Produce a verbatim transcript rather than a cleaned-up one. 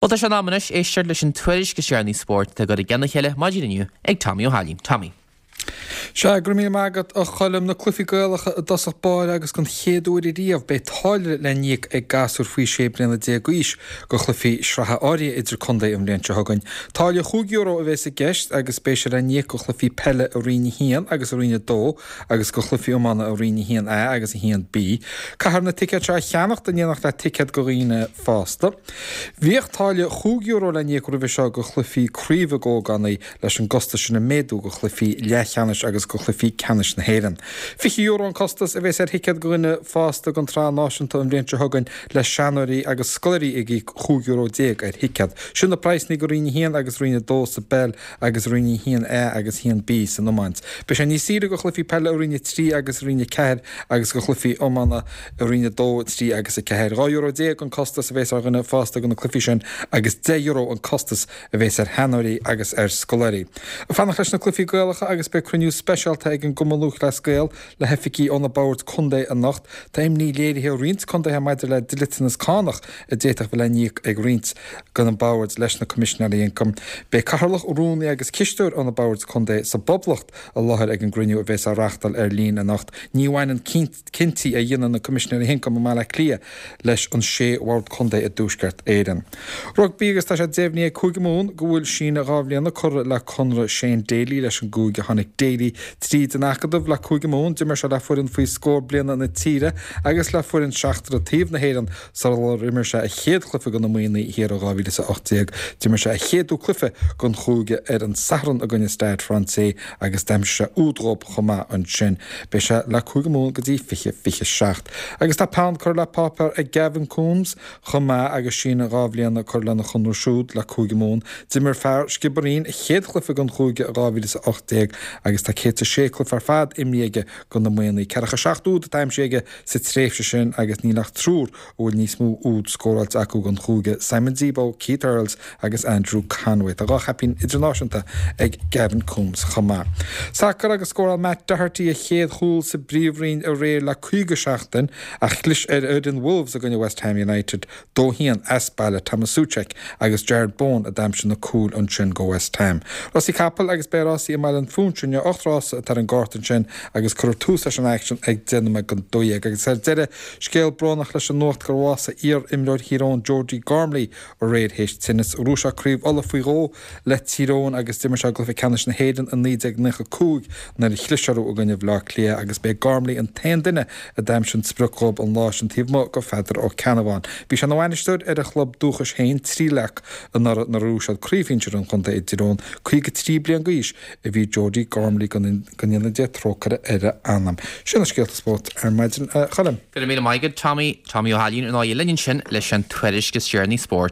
Well tá sé in am anois éisteacht leis an tuairisc is deireanaí spóirt atá curtha i gcéile maidin inniu ag Tommy Ó hAilín. Tommy. Sea, go raibh míle maith agat a Choilm na cluichí Gaelacha i dtosach báire agus don chéad uair riamh beidh táille le n-íoc ag gasúir faoi sé bliana déag d'aois go chluichí sraithe áirithe idir contae an bhliain seo chugainn. Táille chúig euro a bheas i gceist agus beidh sé le n-íoc go chluichí peile i Roinn a haon agus i Roinn a dó agus go chluichí iomána i Roinn a haon A agus a haon B. Caithfear na ticéid seo a cheannacht in éineacht le ticéad go dhaoine fásta. Bhíodh táille chúig euro le n-íoc roimhe seo go chluichí craoibhe d'ógánaigh leis an gcostas sin a méadú go chluichí leathcheannais agus go chluichí ceannais na hÉireann. Fiche euro an costas a bheas ar thicéad go dhuine fásta don tsraith náisiúnta an bhliain seo chugainn le seanóirí agus scoláirí ag íoc chúig euro déag ar thicéad. Sin na praghsanna go Roinn a haon agus Roinn a dó sa bpeil agus Roinn a haon A agus a haon B san iomáint. Beidh sé níos saoire go chluichí peile i Roinn a trí agus Roinn a ceathair agus go chluichí iomána i Roinn a dó, trí agus a ceathair. Dhá euro déag an costas a bheas ar dhuine fásta go na cluichí sin agus deich euro an costas a bheas ar sheanóirí agus ar scoláirí. Fanacht leis na cluichí Gaelacha agus beidh cruinniú speisialta ag an gCumann Lúthchleas Gael le hoifigigh ó na boird contae anocht. Tá imní léirithe roinnt contaetha maidir le dliteanas cánach a d'fhéadfadh bheith le n-íoc ag roinnt de na boird leis na Coimisinéirí Ioncaim. Beidh cathaoirleach, rúnaí agus cisteoir ó na boird contae sa bPoblacht i láthair ag an gcruinniú a bheas á reáchtáil ar líne anocht. Ní bhaineann cinntí a dhéanann na Coimisinéirí Ioncaim i mBaile Átha Cliath leis an sé bhord contae i dTuaisceart Éireann. Rugbaí agus tá sé deimhnithe ag Cúige Mumhan go bhfuil síneadh dhá bhliana curtha le conradh Shane Daly leis an gcúige. Tháinig Daly tríd an acadamh le Cúige Mumhan, d'imir sé le foireann faoi scór bliana na tíre agus le foireann seachtar taobh na hÉireann sular imir sé a chéad chluiche do na Muimhnigh thiar i dhá mhíle is a hocht déag. D'imir sé a chéad chluiche don chúige ar an Satharn i gcoinne Stade Français agus d'aimsigh sé úd dhóibh chomh maith ansin. Beidh sé le Cúige Mumhan go dtí fiche fiche seacht. Agus tá peann curtha le páipéar ag Gavin Coombes chomh maith agus síneadh dhá bhliana curtha lena chonradh siúd le Cúige Mumhan. D'imir fear Sciobairín a chéad chluiche don chúige i dhá mhíle is a hocht déag agus tá céad is a sé cluiche ar fad imrithe aige do na Muimhnigh. Ceathracha seacht úd atá aimsithe aige sa tréimhse sin agus níl ach triúr a bhfuil níos mó úd scóráilte acu don chúige, Simon Zebo, Keith Earls agus Andrew Conway. Tá dhá chaipín idirnáisiúnta ag Gavin Coombes chomh maith. Sacar agus scóráil Matt Doherty a chéad chúl sa bPríomhroinn aréir le caoga seachtain ach chlis ar fhoireann Wolves i gcoinne West Ham United dó haon as baile. Thomas Soucek agus Jarrod Bowen a d'aimsigh na cúil ansin go West Ham. Rásaí capall agus beidh rásaí i mBaile an Phúinse inniu ocht rása atá ar an gcárta ansin agus cuirfear tús leis an aicsean ag deich nóiméad don dó dhéag. Agus ar deireadh, scéal brónach leis an nuacht gur bhásaigh iar-imreoir Thír Eoghain Georgie Gormley aréir théis tinnis. Bhuaigh sé Craobh Uladh faoi dhó le Tír Eoghain agus d'imir sé i gcluiche ceannais na hÉireann i naoi déag nócha cúig nuair a chlis orthu i gcoinne Bhaile Átha Cliath agus b'é Gormley an t-aon duine a d'aimsigh an sprioc dhóibh an lá sin taobh amuigh go Pheadar Ó Ceannabháin. Bhí sé ina bhainisteoir ar a chlub dúchais féin, Tríleac, anuraidh nuair a bhuaigh siad Craobh Shinsir an Chontae i dTír Eoghain. caoga trí bliain d'aois a bhí Georgie Gormley go ndéana Dia trócaire ar a anam. Sin na scéalta spóirt ar maidin, a Choilm. Go raibh míle maith agat, Tommy. Tommy Ó hAilín ar ndóigh linn ansin leis an tuairisc is deireanaí spóirt.